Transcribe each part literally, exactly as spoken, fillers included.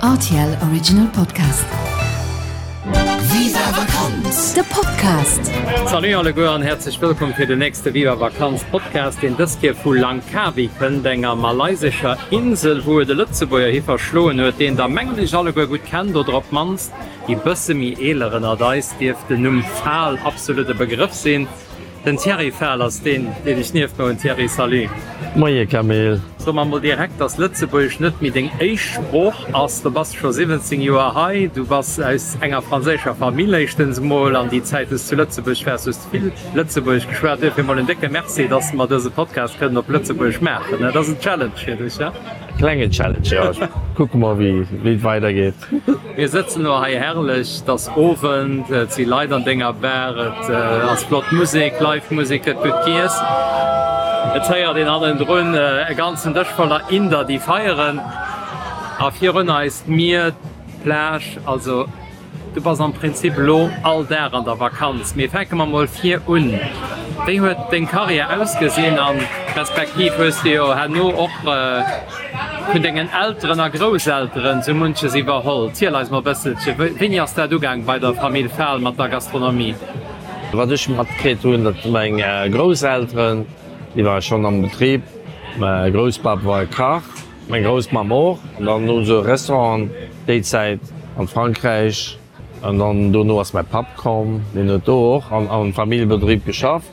R T L Original Podcast. Viva Vakanz! De Podcast. Salut alleguer an häerzlech wëllkomm fir den nächste Viva Vakanz Podcast, deen dës Kéier vu Langkawi kënnt, enger malaysescher Insel, wou et e Lëtzebuerger hi verschloen huet, deen der mengen ech alleguer gutt kennt oder op d'mannst déi bësse méi eeler ënnert eis dierft den Numm Fahl absolut e Begrëff sinn. Den Thierry Fahl ass deen, deen ech nieft mer hunn. Thierry, salut. Moie Camille. So mer mol direkt, dass Lëtzebuergesch net méi deng éischt Sprooch ass. Du bass scho siwwenzéng Joer hei, du bass aus enger franséischer Famill éischtens mol, an déi Zäit wou s zu Lëtzebuerg waars, hues de vill Lëtzebuergesch geschwat. Duerfir mol en décke Merci, dass mer dëse Podcast kënnen op Lëtzebuergesch maachen. Dat ass en Challenge fir dech, ja? Klengen Challenge, jo. Kucke mer wéi et weidergeet. Mir sëtzen elo hei herrlech, et ass Owend, et si Leit an denger Bar, et ass flott Musek, live Musek, gëtt gutt giess. Et héiert een hannendrun e ganzen Dësch voller Inder déi feieren a virun eis d'Mier, d'Plage, also du bass am Prinzip elo all Dag an der Vakanz. Mee fänke mer mol vir un, wéi huet deng Karriär ausgesinn an respektiv hues de jo herno och vun dengen Elteren a Grousselteren sou munches iwwerholl. Ziel eis mol e bësselche, wéini ass dat ugaang bei der Famill Fahl mat der Gastronomie? Wat ech matkritt hunn, datt meng Grousselteren, déi ware schonn am Betrib, mäi Grousspapp war e Kach, meng Groussmamm och, an dann hu se Restauranten déi Zäit an Frankräich, an dann dono ass mäi Papp komm, deen huet do och am Familljebetrib geschafft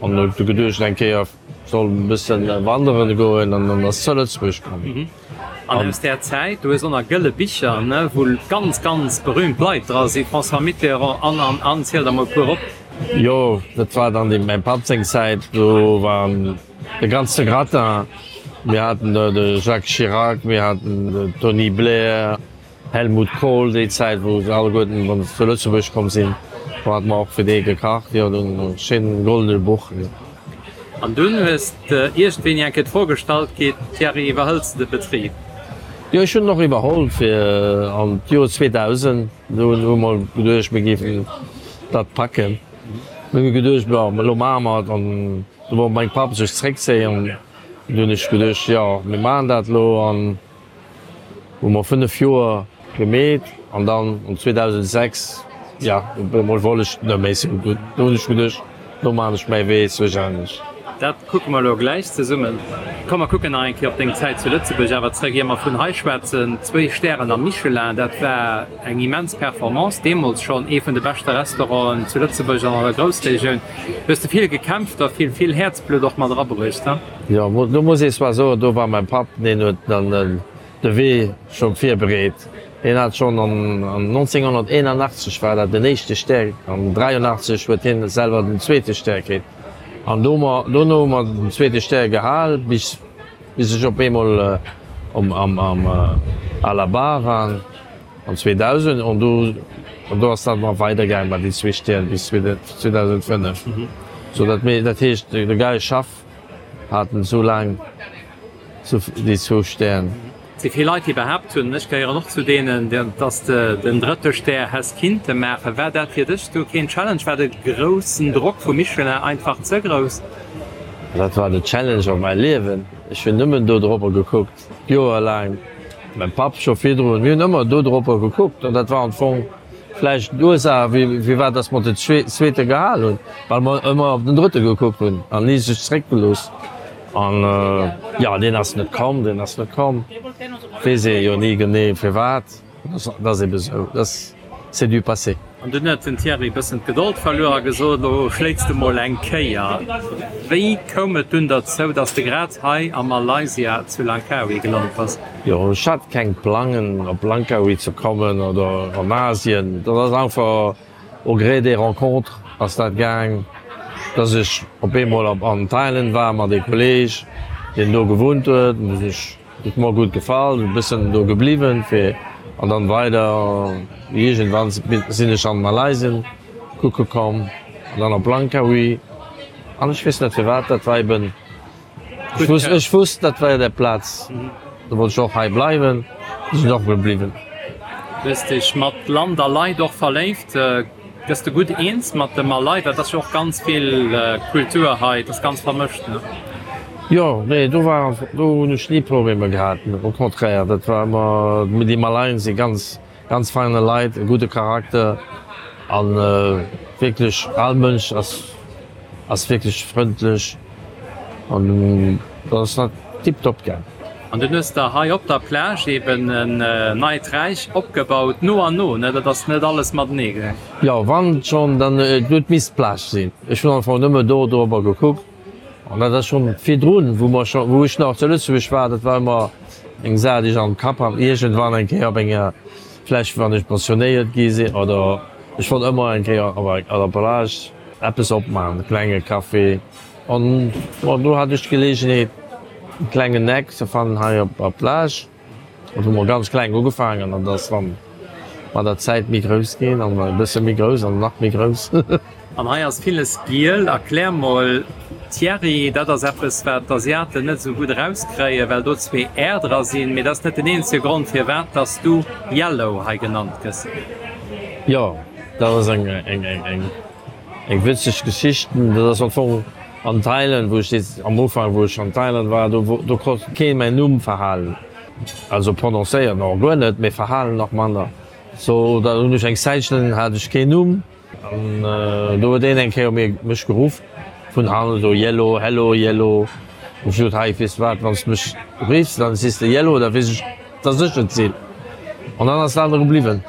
an huet du geduecht eng Kéier soll e bëssen wanderen goen an dann ass zu Lëtzebuerg komm. An aus där Zäit, du hues och nach gëlle Bicher, ne, wou ganz, ganz berühmt Leit dra sinn, François Mitterrand an, an, an, ziel der mol e puer op. Jo, dat war dann deem mäi Papp seng Zäit, do war de ganze Gratin, mir haten do de Jacques Chirac, mir haten de Tony Blair, Helmut Kohl, déi Zäit wou se alleguerten wann se zu Lëtzebuerg komm sinn, do hate mer och fir déi gekacht, jo, do schéinen goldene Buch. An dunn hues de iergendwéini eng Kéier d'Fro gestallt kritt, Thierry, iwwerhëls de de Betrib? Jo, ech hunn en och iwwerholl fir an d'Joer zweedausend. Do hu mer geduecht, mir géifen dat packen. Mir hu geduecht, bon, elo maache mer et. An du wollt meng Papp sech zréckzéien. Du hunn ech geduecht, jo, mir maachen dat elo. An hu mer fënnef Joer gemeet an dann an zweedausendsechs, jo, op eemol wollt ech net méi sou gutt. Do hunn ech geduecht, lo maan ech mäi Wee zwëschenlech. Dat kucke mer elo gläich zesummen. Komm mer kucken nach eng Kéier op deng Zäit zu Lëtzebuerg awer zréck, ier mer vun hei schwätzen. Zwéi Stären am Michelin, dat war eng immens Performance, deemools schonn ee vun de beschte Restauranten zu Lëtzebuerg an an der Groussregioun. Hues de vill gekämpft a vill, vill Häerzblutt och mat erabruecht, he? Jo, do muss ee zwar soen, do war mäi Papp, deen huet dann de Wee scho virbereet. Hien hat schonn an nonzénghonnerteenanachtzeg war dat den éischte Stär, an dräianachtzeg huet hien selwer den zweete Stär kritt. An dono hu mer den zweete Stär gehal, bis bis ech op eemol um am am à la barre war an zweedausend. An do an do ass dat nach weidergaangen mat den zwee Stären bis zweedausendfënnef. Sou dat mir dat heescht de Guy Schaff hat en esou laang déi zwou Stären. Et si vill Leit, déi behaapt hunn, ech gehéieren och zu deenen, dass de den drëtte Stär häss kinnte maachen. War dat fir dech du keen Challenge? War de groussen Drock vu Michelin einfach ze grouss? Dat war de Challenge op mäi Liewen. Ech hunn nëmmen do dropper gekuckt, joerlaang. Mäi Papp scho virdrun. Mir hunn ëmmer do dropper gekuckt an dat war am Fong vläicht d'Ursaach, firwat dass mer den zweete gehal hunn, well mer ëmmer op den drëtte gekuckt hunn an ni sech zeréckgelooss. An jo, deen ass net komm, deen ass net komm. Weess ee jo ni genee firwat. Dat ass ebe sou, dat c'est du passé. An dunn huet den Thierry e bëssen d'Gedold verluer a gesot, Elo schléits de mol eng Kéier. Wéi koum et dunn derzou, dass de grad hei a Malaysia zu Langkawi gelant bass? Jo, ech hat keng Plangen op Langkawi ze kommen oder an Asien. Dat ass einfach au gré des rencontres ass dat gaang, dass ech op eemol op an Thailand war mat ee Kolleg, deen do gewunnt huet. An du ech huet mer gutt gefall, e bëssen do gebliwwen fir an dann weider. Iergendwann sinn ech an Malaysien kucke komm an dann op Langkawi an ech weess net firwat, dat war eben. Ech wusst, ech wusst, dat war der Plaz. Do wollt ech och hei bleiwen, sinn och gebliwwen. Du hues dech mat Land a Leit och verléift. Gëss de gutt eens mat de Malay? Well et ass jo och ganz vill Kultur hei, et ass ganz vermëscht, ne? Jo, nee, do war, do hunn ech ni Problemer gehat, au contraire, dat war ëmmer, déi Malaien si ganz, ganz feine Leit, e gudde Charakter an wierklech all Mënsch ass, ass wierklech frëndlech an dat ass tiptop gaang. An dunn hues de hei op der Plage eben en neit Räich opgebaut, no an no, ne? Dat ass net alles matenee gaang. Jo, wann schonn, dann et huet misst d'Plage sinn. Ech hunn am Fong nëmme do dorobber gekuckt an dat ass schonn virdrun, wou mer scho, wou ech nach zu Lëtzebuerg war, dat war ëmmer eng Saach, déi ech am Kapp hat, iergendwann eng Kéier op enger, vläicht wann ech pensionéiert gi sinn oder ech wollt ëmmer eng Kéier op der Plage eppes opmaachen, e klenge Café. An bon, do hat ech d'Geleegenheet, e klengen Eck ze fannen hei op der Plage. An hu mer ganz kleng ugefaangen an dat ass dann mat der Zäit méi grouss ginn an e bësse méi grouss an nach méi grouss. An hei ass villes giel. Erklär mol Thierry, dat ass eppes wat d'Asiaten net esou gutt erauskréien, well do zwee R dra sinn. Mee dat ass net den eenzege Grond firwat dass du Yellow hei genannt gëss. Jo, dat ass eng eng eng Eng witzeg Geschicht, dat ass am Fong an Thailand, wou ech dees am Ufank, wou ech an Thailand war, do do konnt kee mäin Numm verhalen, also prononcéieren och guer net, mee verhalen nach manner. So da hunn ech eng Zäitchen hat ech keen Numm an do huet een eng Kéier mir mech geruff vun hannen esou Yellow, hello Yellow. Hunn ech gesot, hei weess de wat, wann s de mech riffs, dann sees de Yellow, da weess ech, dass ech et sinn. An dann ass dat aner gebliwwen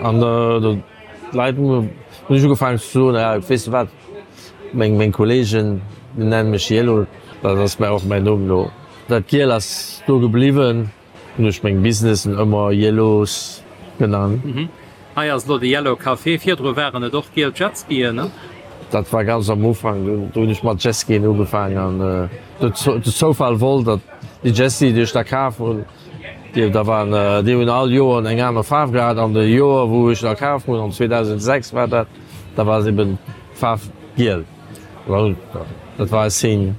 an do. D'Leit hunn ech ugefaangen ze soen, ja weess de wat, meng meng Kollegen déi nennen mech Yellow, dat ass mä och mäin Numm elo. Dat Giel ass do gebliwwen, hunn ech meng Businessen ëmmer Yellows genannt. Hei ass elo de Yellow Café, virdru waren et och giel Jetskien, ne? Dat war ganz am Ufank, do hunn ech mat Jetskien ugefaangen an de Zoufall wollt, datt déi Jetski déi ech da kaf hunn, Déi da waren, déi hunn all Joer eng aner Faarf gehat an de Joer wou ech da kaf hunn, an zweedausendsechs war dat, da war se eben d'Faarf giel. Dat war e Signe.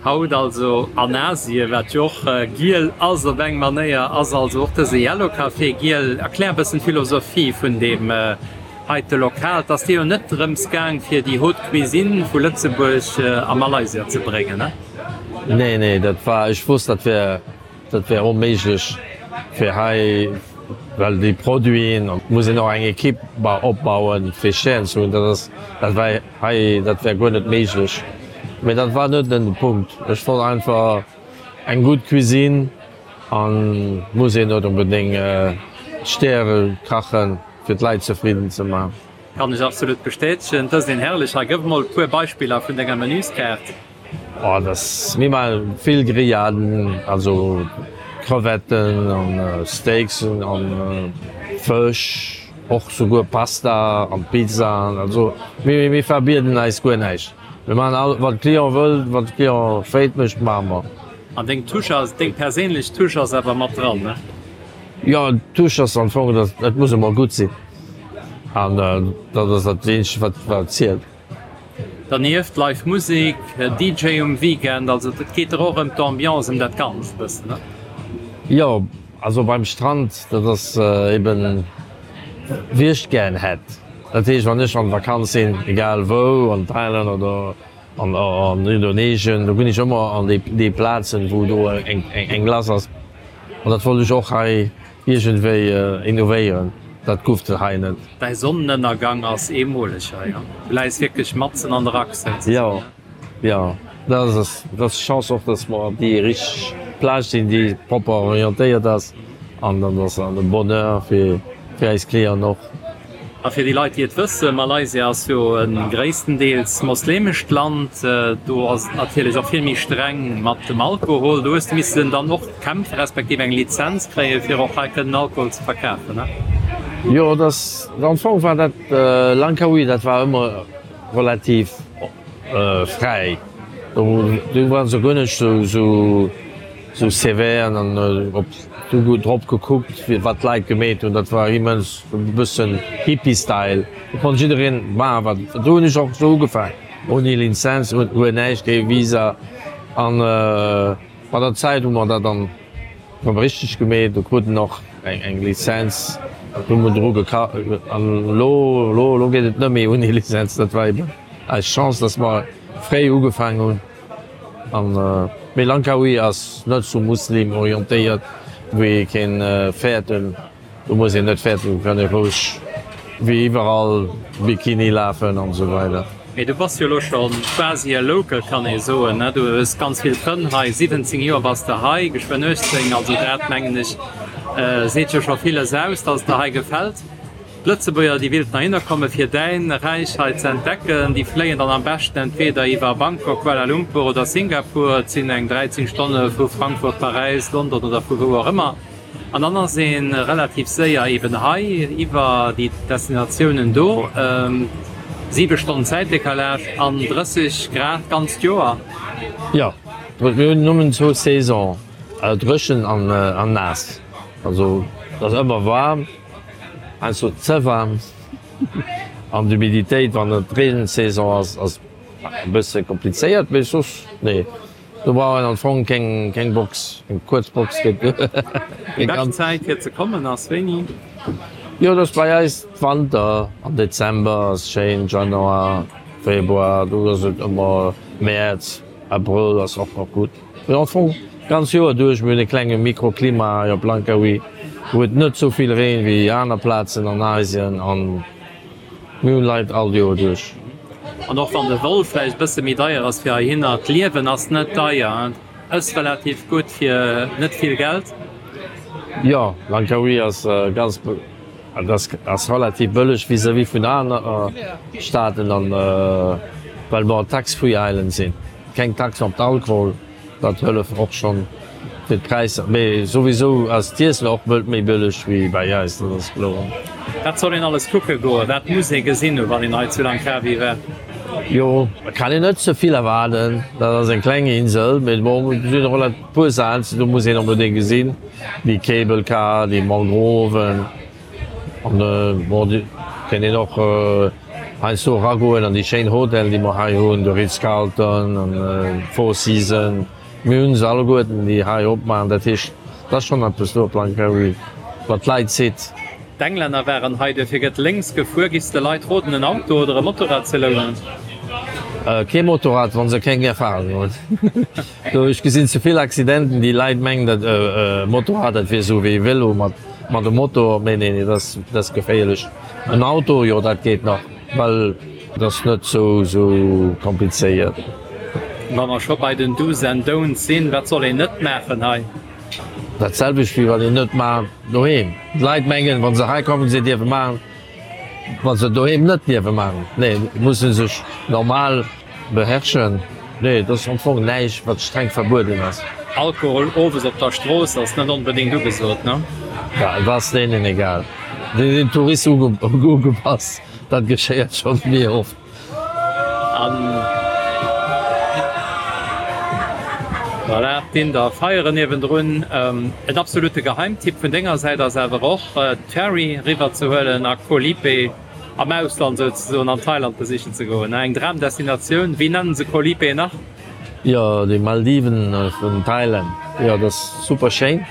Haut also an Asien, wat jo och giel ass op eng Manéier, ass also och dëse Yellow Café giel. Erklär e bëssen d'Philosophie vun deem heite Lokal. Et ass dir jo net drëms gaang fir déi Haute Cuisine vu Lëtzebuerg a Malaysia ze bréngen, ne? Nee, nee, dat war, ech wosst dat wär Dat wär onméiglech fir hei, well déi Produiten, an et muss een och eng Ekipp opbauen, fir Stären ze hunn, dat ass, dat war hei, dat wär guer net méiglech. Mee dat war net den Punkt. Ech wollt einfach eng gutt Cuisine an muss een net onbedéngt Stäre kachen, fir d'Leit zefridden ze man. Kann ech absolut bestätegen. Et ass een herrlech. Hei gëff mol e puer Beispiller vun denger Menüskaart. Oh dass mir maachen vill Grilladen, also Crevetten an Steaksen an Fësch, och souguer Pasta an Pizzaen. Also mir mir verbieden eis guer näischt. Mir maachen all wat de Client wëllt, wat de Client freet mécht, maache mer. An deng Touche ass, deng perséinlech Touche ass awer mat dran, ne? Jo, d'Touche ass am Fong, dass et muss emol gutt sinn an dat ass dat eenzegt wat wat zielt. Dernieft live Musek, D J um Weekend, also et geet der och ëm d'Ambiance, ëm dat Ganzt e bëssen, ne? Jo, also beim Strand, dat ass eben wéi ech et gären hätt. Dat heescht, wann ech an Vakanz sinn, egal wou, an Thailand oder an Indonesien, do ginn ech ëmmer an déi Plazen, wou do eng lass ass. An dat wollt ech och hei iergendwéi innovéieren. Dat gouf et hei net. Däi Sonnenënnergang ass eemoleg hei, du läis wierklech matzen an der Achs souzesoen. Jo, jo, dat ass dat ass d'Chance och, dass mer op déi richteg Plage sinn, déi propper orientéiert ass an dann ass an de Bonheur fir fir eis Clienten och. A fir déi Leit, déi et wëssen, Malaysia ass jo e gréisstendeels moslemescht Land. Do ass et natierlech och vill méi streng mat dem Alkohol. Do hues de missen dann och kämpfen, respektiv eng Lizenz kréien, fir och hei kënnen Alkohol ze verkafen, ne? Jo, et ass, am Fong war dat Langkawi, dat war ëmmer relativ fräi. Do waren se guer net esou sévère an op du drop gekuckt, wat d'Leit gemeet hunn. Dat war immens e bëssen Hippie-Style. Do konnt jiddereen maachen, wat. Do hunn ech och esou ugefaangen, ouni Lizenz, guer näischt, kee Visa. An mat der Zäit hu mer dat dann erëm richteg gemeet. Do krut en och eng Lizenz, do hu mer dru geka. An elo, elo, elo geet et net méi ouni Lizenz. Dat war eben eis Chance, dass mer fréi ugefaangen hunn. An Mee Langkawi ass net sou Muslim orientéiert, wou ee kéint fäerten. Do muss een net fäerten, do kann ee roueg wéi iwwerall Bikini lafen an esou weider. Mee du bass jo elo scho quasi e Local, kann ee soen, ne? Du hues ganz vill Frënn hei, siwwenzéng Joer bass de hei, geschwënn uechtzéng, also dat mengen ech seet jo scho villes aus, dass et der hei gefält. D'Lëtzebuerger, déi willt heihinner komme fir däin Räich hei ze entdecken, déi fléien dann am beschten entweder iwwer Bangkok, Kuala Lumpur oder Singapur, et sinn eng dräizéng Stonne vu Frankfurt, Paräis, London oder vu wou och ëmmer, an dann ass ee relativ séier eben hei iwwer déi Destinatiounen do. Siwe Stonnen Zäitdecalage an drësseg Grad d'ganzt Joer. Jo, mir hunn nëmmen zwou Saison, dréchen an naass. Also et ass ëmmer waarm. Heiansdo ze waarm an d'Humiditéit, wann et Reensaison ass, ass e bësse komplizéiert, mee soss nee, do brauch een am Fong keng keng Box, eng kuerz Box geet duer. Déi bescht Zäit fir ze kommen ass wéini? Jo, dat ass bei eis Wanter, am Dezember ass schéin, Januar, Februar, do ass et ëmmer, Mäerz, Abrëll ass och nach gutt. Mee am Fong d'ganz Joer duerch. Mir hunn e klenge Mikroklima hei op Langkawi, wou et net sou vill reent wéi aner Plazen an Asien an mir hunn Leit all Joer duerch. An och wann de Vol vläicht e bësse méi deier ass fir heihinner, d'Liewen ass net deier, ëss relativ gutt fir net vill Geld. Jo, Langkawi ass ganz, ass relativ bëlleg vis-à-vis vun aner Staaten an well mer Tax-free Island sinn. Keng Tax op d'Alkohol, dat hëlleft och schonn fir d'Präisser. Mee souwisou ass d'Iessen och méi bëlleg wéi bei eis, dat ass kloer. Wat soll een alles kucke goen? Wat muss ee gesinn hunn, wann een hei zu Langkawi war? Jo, et kann een net ze vill erwaarden, dat ass eng kleng Insel, mee bon, et sinn och e puer Saachen, do muss een onbedéngt gesinn, déi Cable Car, déi Mangroven. An bon, et kéint een och heiansdo eragoen an déi schéin Hotellen, déi mer hei hunn, de Ritz-Carlton an d'Four Seasons. Mir hu se alleguerten, déi hei opmaachen. Dat heescht, et ass schonn eppes do op Langkawi, wat d'Leit zitt. D'Englänner waren hei, duerfir gëtt lénks gefuer. Giffs de Leit roden, en Auto oder e Motorrad ze lounen? Kee Motorrad, wa se keng Erfahrung hunn. Do, ech gesinn ze vill Accidenten, déi Leit mengen, dat e Motorrad, dat wier esou wéi e Vélo mat Mat dem Motor, nee, nee, dat ass, dat ass geféierlech. En Auto, jo, dat geet nach, well dat ass net sou, sou komplizéiert. Wa mer scho bei den Do's and Don'ts sinn, wat soll een net maachen hei? Dat selwecht wéi wat een net maacht doheem. D'Leit mengen, wa se hei kommen, se dierfe maachen, wat se doheem net dierfe maachen. Nee, musse sech normal Beherrschen? Nee, et ass am Fong näischt, wat streng verbueden ass. Alkohol owes op der Strooss ass net onbedéngt ugesot, ne? Ja, et ass deenen egal. Si sinn Touriste ugepasst, dat geschéiert schonn méi oft. An voilà, d'Inder feieren niewendrun. En absolute Geheimtipp vun denger Säit ass awer och, d'Ferry riwwer ze huelen a Koh Lipe. Am Ausland souzesoen, an Thailand besichen ze goen, eng Dramdestinatioun. Wéi nennen se Koh Lipe nach? Jo, déi Maldiven vun Thailand, jo dat ass super schéin.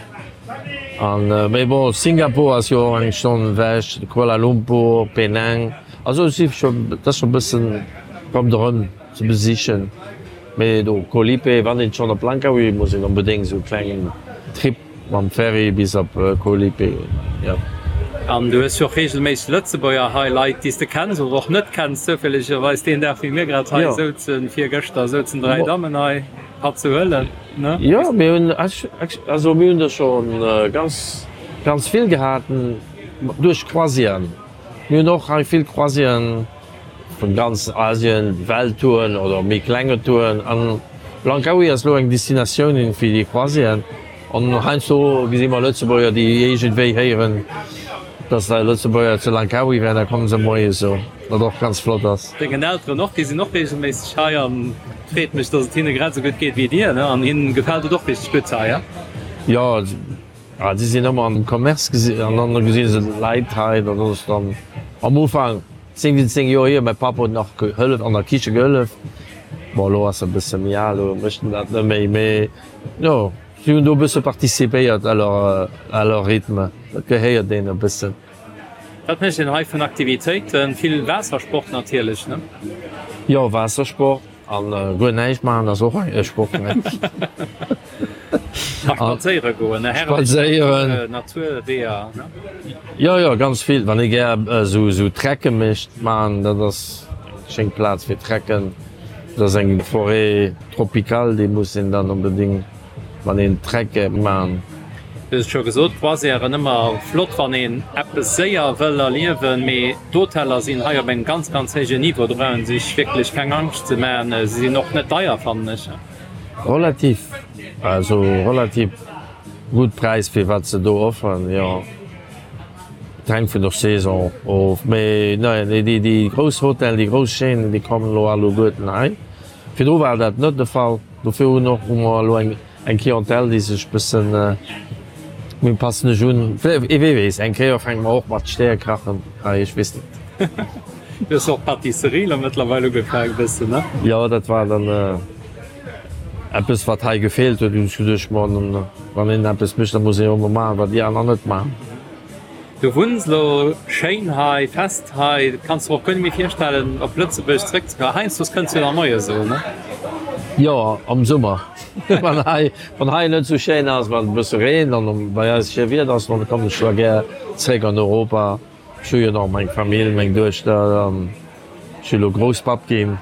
An mee bon, Singapur ass jo och eng Stonn ewech, Kuala Lumpur, Penang, also et si scho, dat ass scho bëssen ronderëm ze besichen. Mee do Koh Lipe, wann een schonn op Langkawi, muss een onbedéngt esou e klengen Trip Mam Ferry bis op Koh Lipe, jo. An du hues jo och reegelméisseg Lëtzebuerger hei, Leit déi s de kenns oder och net kenns, zoufällegerweis deen Dag wéi mir grad hei souzen, virgëschter souzen dräi Dammen hei, Patt ze huelen, ne? Jo, mir hunn, also mir hunn der scho ganz, ganz vill gehat duerch Croisièren. Mir hunn och hei vill Croisièren vun ganz Asien, Welttouren oder méi klenge Touren. An Langkawi ass elo eng Destinatioun fir déi Croisièren. An heiansdo gesi mer Lëtzebuerger, déi iergendwéi héieren, dass da Lëtzebuerger zu Langkawi wären, da komme se moies esou, wat och ganz flott ass. Dengen Elteren och, déi sinn och reegelméisseg hei an et freet mech, dass et hinne grad esou gutt geet wéi dir, ne? An hinnen gefält et och richteg gutt hei, ja? Jo, si sinn ëmmer am Commerce gesi an dann gesi se Leit hei, dat ass dann am Ufank siwwenzéng Joer hier, mäi Papp huet nach gehëllef, an der Kiche gehëllef, bon elo ass e bësse méi al, elo mécht en dat net méi, mee jo. Si hunn do e bësse participéiert à leur, à leur rythme. Dat gehéiert deenen e bëssen. Wat mécht een hei vun Aktivitéiten? Vill Waassersport natierlech, ne? Jo, Waassersport. An guer näischt maachen ass och e Sport, ne? A spadséiere goen, ne? Spadséieren. Naturweeër, ne? Jo, jo, ganz vill. Wann ee gär esou, esou Trecke mécht, maachen, dat ass eng schéin Plaz fir Trecken. Dat ass eng Forêt tropicale, déi muss een dann onbedéngt, wann een Trecke maan. Du hues et scho gesot, Croisièren ëmmer flott wann een eppes séier wëll erliewen, mee d'Hoteller sinn hei op engem ganz ganz héijen Niveau, do brauch een sech wierklech keng Angscht ze maachen. Se sinn och net deier fannen ech. Relativ, also relativ gutt Präis fir wat se do offeren, jo. Et hänkt vun der Saison of, mee nee déi déi grouss Hotellen, déi grouss Chaînen, déi kommen elo alleguerten hei. Virdru war dat net de Fall, dofir hunn och hu mer elo eng Eng Clientèle, déi sech bëssen méi passen ech un. Wee weess, eng Kéier fänke mer och mat Stäre kachen hei, ech weess net. Du hues och Pâtisserie lo mëttlerweil ugefaangen bëssen, ne? Jo, dat war dann eppes wat hei gefeelt huet. Hunn ech geduecht, bon, wann een eppes mécht, da muss een och emol maachen, wat déi aner net maachen. Du wunns lo schéin hei, fest hei, kanns der och guer net méi virstellen op Lëtzebuerg zréck ze kommen. Heiansdo kënns du jo nach moies soen, ne? Jo, am Summer, wann hei wann hei net sou schéin ass, wann et e bësse reent an bei eis schéi Wieder ass, dann kommen ech zwar gär zréck an Europa. Ech hu jo nach meng Famill, meng Duechter an ech si lo Grousspapp ginn.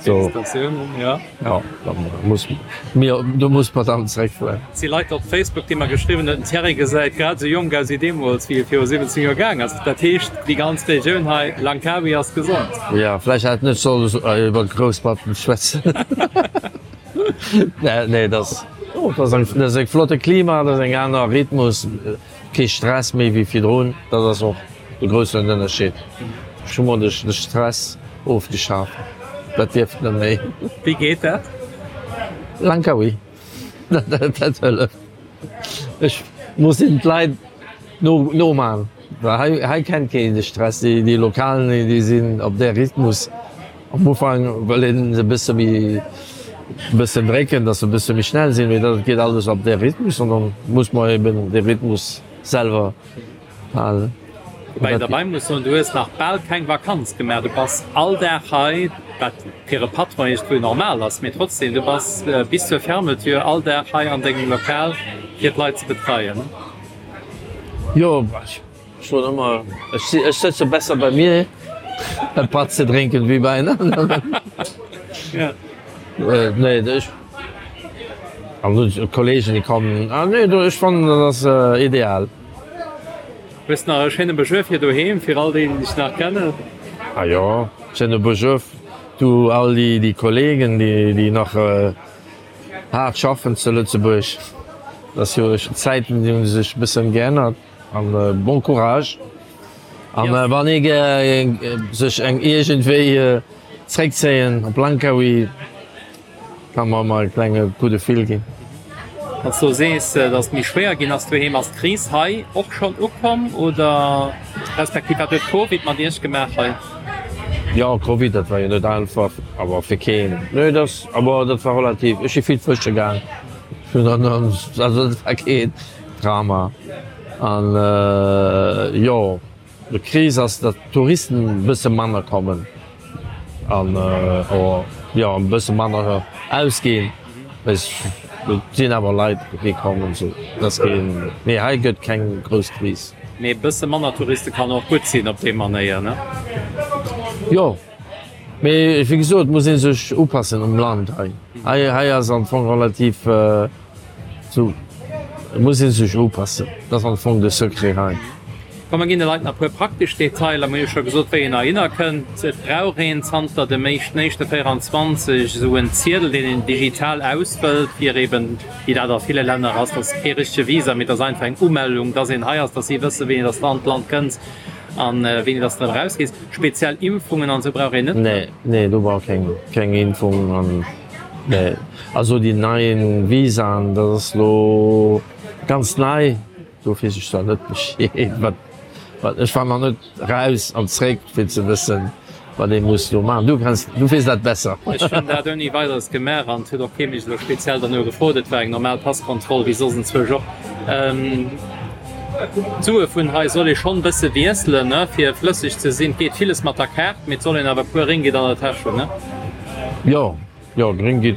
Félicitatiounen, jo. Jo, da muss mir, do muss mer dann zeréckfueren. Et si Leit op Facebook, déi mer geschriwwen hunn, den Thierry gesäit grad esou jonk aus wéi deemools, wéi e viru siwwenzéng Joer gaang ass. Dat heescht, déi ganz Regioun hei, Langkawi, ass gesond. Jo, vläicht hätt net sollen iwwer Grousspappen schwätzen. Nee, dat ass, dat ass eng, dat ass e flotte Klima, dat ass eng aner Rhythmus, kee Stress méi wéi virdrun. Dat ass och de groussen Ënnerscheed. Ech hu mer de Stress ofgeschaf, dat dierft net méi. Wéi geet dat? Langkawi, dat hëlleft. Ech muss den d'Leit noman, well hei hei kennt keen de Stress. Déi Lokalen, déi sinn op där Rhythmus. Am Ufank wëll een se e bësse méi e bëssen drécken, datt se e bësse méi schnell sinn, mee dat geet alles op där Rhythmus an dann muss mer eben dee Rhythmus selwer halen. Woubäi een derbei muss soen, du hues nach bal keng Vakanz gemaach, du bass all Dag hei, wat fir e Patron iergendwou normal ass, mee trotzdem, du bass bis zur Fermeture all Dag hei an dengem Lokal fir d'Leit ze betreien. Jo, ech soen ëmmer, ech sëtze besser bei mir e Patt ze drénken wéi bei en aneren. Nee, ech an d'Kollegen déi kommen, nee, ech fannen dat ass ideal. Hues nach e schéine Besuer fir doheem, fir all déi, déi dech nach kennen? Ah jo, schéine Besuer du all déi Kollegen, déi nach haart schaffen zu Lëtzebuerg. Dat ass jo, d'Zäiten déi hu sech e bëssen geännert an bon courage. An wann ee gär sech eng iergendwéi zréckzéien op Langkawi, Kann mer emmer e klenge Coup de fil ginn. Wann s du sees, datt et méi schwéier ginn ass doheem, ass d'Kris hei och schonn ukomm oder respektiv wat huet Covid mat Iech gemaach hei? Jo, Covid, dat war jo net einfach, awer fir keen. Nee, dat ass, awer dat war relativ, ech si vill fësche gaang, ech hunn dann, also dat war keen Drama. An jo. D'Kris ass, datt d'Touristen e bësse manner kommen an jo e bësse manner ausginn. Et sinn awer Leit déi kommen, sou datt keen, mee hei gëtt keng grouss Kris. Mee e bësse manner Touriste kann och gutt sinn op déi Manéier, ne? Jo, mee wéi gesot, muss ee sech upassen um Land hei. Hei ass am Fong relativ. Sou, et muss ee sech upassen, dat ass am Fong de Secret hei. Komm mer ginn de Leit nach e puer praktesch Detailer. Mer hu jo scho gesot, wéi een heihinner kënnt. Et brauch een zanter dem éischten éischte véieranzwanzeg esou en Ziedel, deen een digital ausfëllt, fir eben, wéi dat a ville Länner ass, dat ass kee richtege Visa, mee dat ass einfach eng Umellung, dass een hei ass, dass si wëssen, wéini dass de an d'Land kënns a wéini dass de erëm erausgees. Speziell Impfungen an esou brauch een net. Nee, nee, do brauch keng, keng Impfung an. Nee, also déi neien Visaen, dat ass lo ganz nei, do weess ech zwar net Bescheed, wat, wat, ech war nach net raus an zréck fir ze wëssen, wat ee muss do maachen. Du kenns, du weess dat besser. Ech hunn dat ouni Weideres gemaach an et huet och kee mech elo speziell derno gefrot. Et war eng normal Passkontroll wéi soss enzwousch och. D'Sue vun hei soll ee schonn bësse wiesselen, ne, fir flësseg ze sinn. Et geet villes mat der Kaart, mee et soll een awer e puer Ringgit an der Täsch hunn, ne? Jo, Jo, gréng gi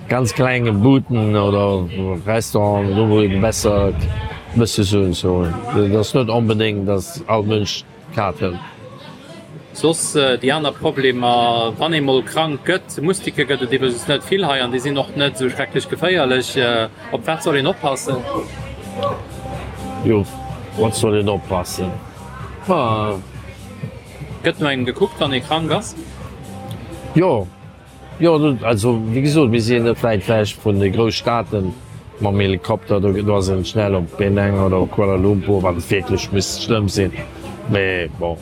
ganz klenge Buden oder Restauranten, do wou een besser bësse sou sou. Et ass net onbedéngt, datt all Mënsch d'Kaart hëlt. Soss déi aner Problemer, wann ee mol krank gëtt, Mustike gëtt et iwwregens net vill hei an déi sinn och net esou schrecklech geféierlech. Op wat soll een oppassen? Jo, wat soll een oppassen? Ma. Gëtt no engem gekuckt, wann ee krank ass? Jo, jo, also wéi gesot, mir sinn net wäit ewech vun de Grousstaaten mam Helikopter, do do ass een schnell op Penang oder op Kuala Lumpur, wann et wierklech misst schlëmm sinn. Mee bon,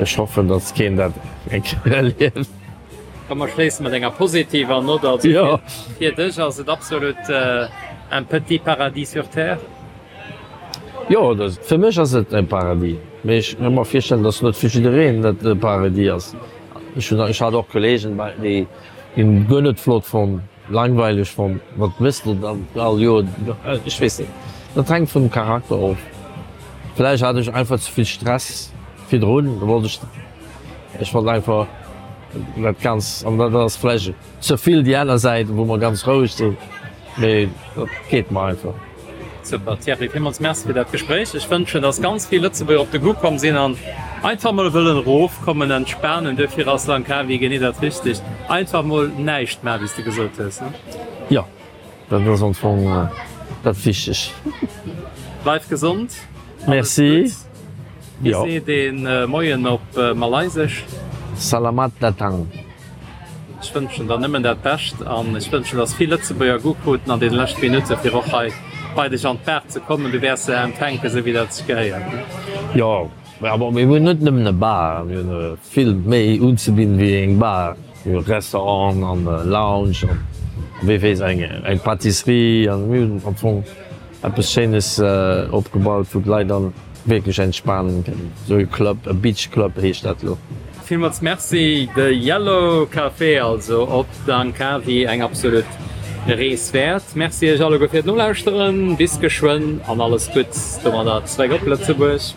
ech hoffen, datt keen dat eng Kéier erlieft. Komm mer schléisse mat enger positiver Nott. Also Jo. fir dech ass et absolut un petit paradis sur terre? Jo, fir mech ass et e Paradis, mee ech ka mer virstellen, datt net fir jiddereen dat e Paradis ass. Ech hunn, ech hat och Kollegen, déi hunn guer net flott fonnt, langweileg fonnt, wat méchs de dann all Joer, ech weess net, dat hänkt vum Charakter of. Vläicht hat ech einfach ze vill Stress virdrun, da wollt ech, ech wollt einfach dat ganz, an dat ass vläicht ze vill déi aner Säit, wou mer ganz roueg sinn, mee dat geet mer einfach. Super Thierry, villmools Merci fir dat Gespréich. Ech wënschen, dass ganz vill Lëtzebuerger op de Goût komm sinn an einfach mol wëllen erofkommen, entspanen. Duerfir ass Langkawi genee dat Richtegt. Einfach mol näischt maachen, wéi s de gesot hues, ne? Jo, dat ass am Fong dat Wichtegt. Bleif gesond, alles Merci. Gutts. Wéi Jo. seet een Moien op Malaysesch? Salamat datang. Ech wënschen der nëmmen dat Bescht an ech wënschen, dass vill Lëtzebuerger Goût kruten an deene leschte Minutte fir och hei bei dech an d'Bar ze kommen. Du wäers se empfänken, esou wéi dat sech gehéiert. Jo, awer mir hunn net nëmmen e Bar, mir hunn vill méi unzebidden wéi eng Bar. Mir hu Restaurant an Lounge an wee weess eng Pâtisserie an mir hunn am Fong eppes Schéines opgebaut, wou d'Leit dann wierklech entspanen kënnen. Esou e Club, e Beach Club heescht dat elo. Villmools Merci. De Yellow Café also op Langkawi, eng absolut Rees wäert. Merci iech alleguer fir d'Nolauschteren. Bis geschwënn an alles Gutts domadder zeréck op Lëtzebuerg.